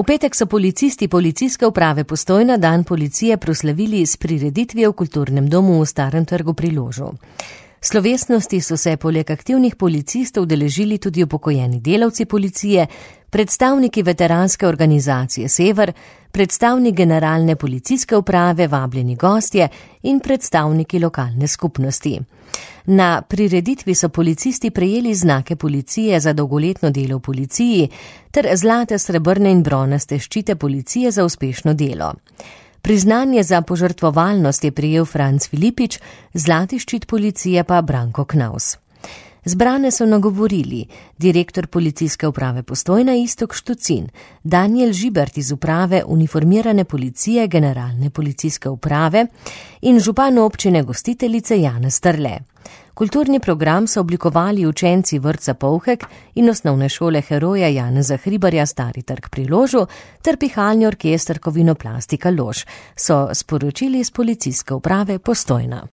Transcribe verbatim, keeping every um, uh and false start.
V petek so policisti policijske uprave Postojna dan policije proslavili s prireditvijo v kulturnem domu v Starem trgu pri Ložu. Slovesnosti so se poleg aktivnih policistov udeležili tudi upokojeni delavci policije, predstavniki veteranske organizacije Sever, predstavnik generalne policijske uprave, vabljeni gostje in predstavniki lokalne skupnosti. Na prireditvi so policisti prejeli znake policije za dolgoletno delo v policiji ter zlate, srebrne in bronaste ščite policije za uspešno delo. Priznanje za požrtvovalnost je prejel Franc Filipič, zlati ščit policije pa Branko Knaus. Zbrane so nagovorili direktor policijske uprave Postojna Iztok Štucin, Danijel Žibert iz uprave uniformirane policije generalne policijske uprave in župan občine gostiteljice Janez Strle. Kulturni program so oblikovali učenci vrtca Polhek in osnovne šole heroja Janeza Hribarja Stari trg pri Ložu ter pihalni orkester Kovinoplastika Lož, so sporočili iz policijske uprave Postojna.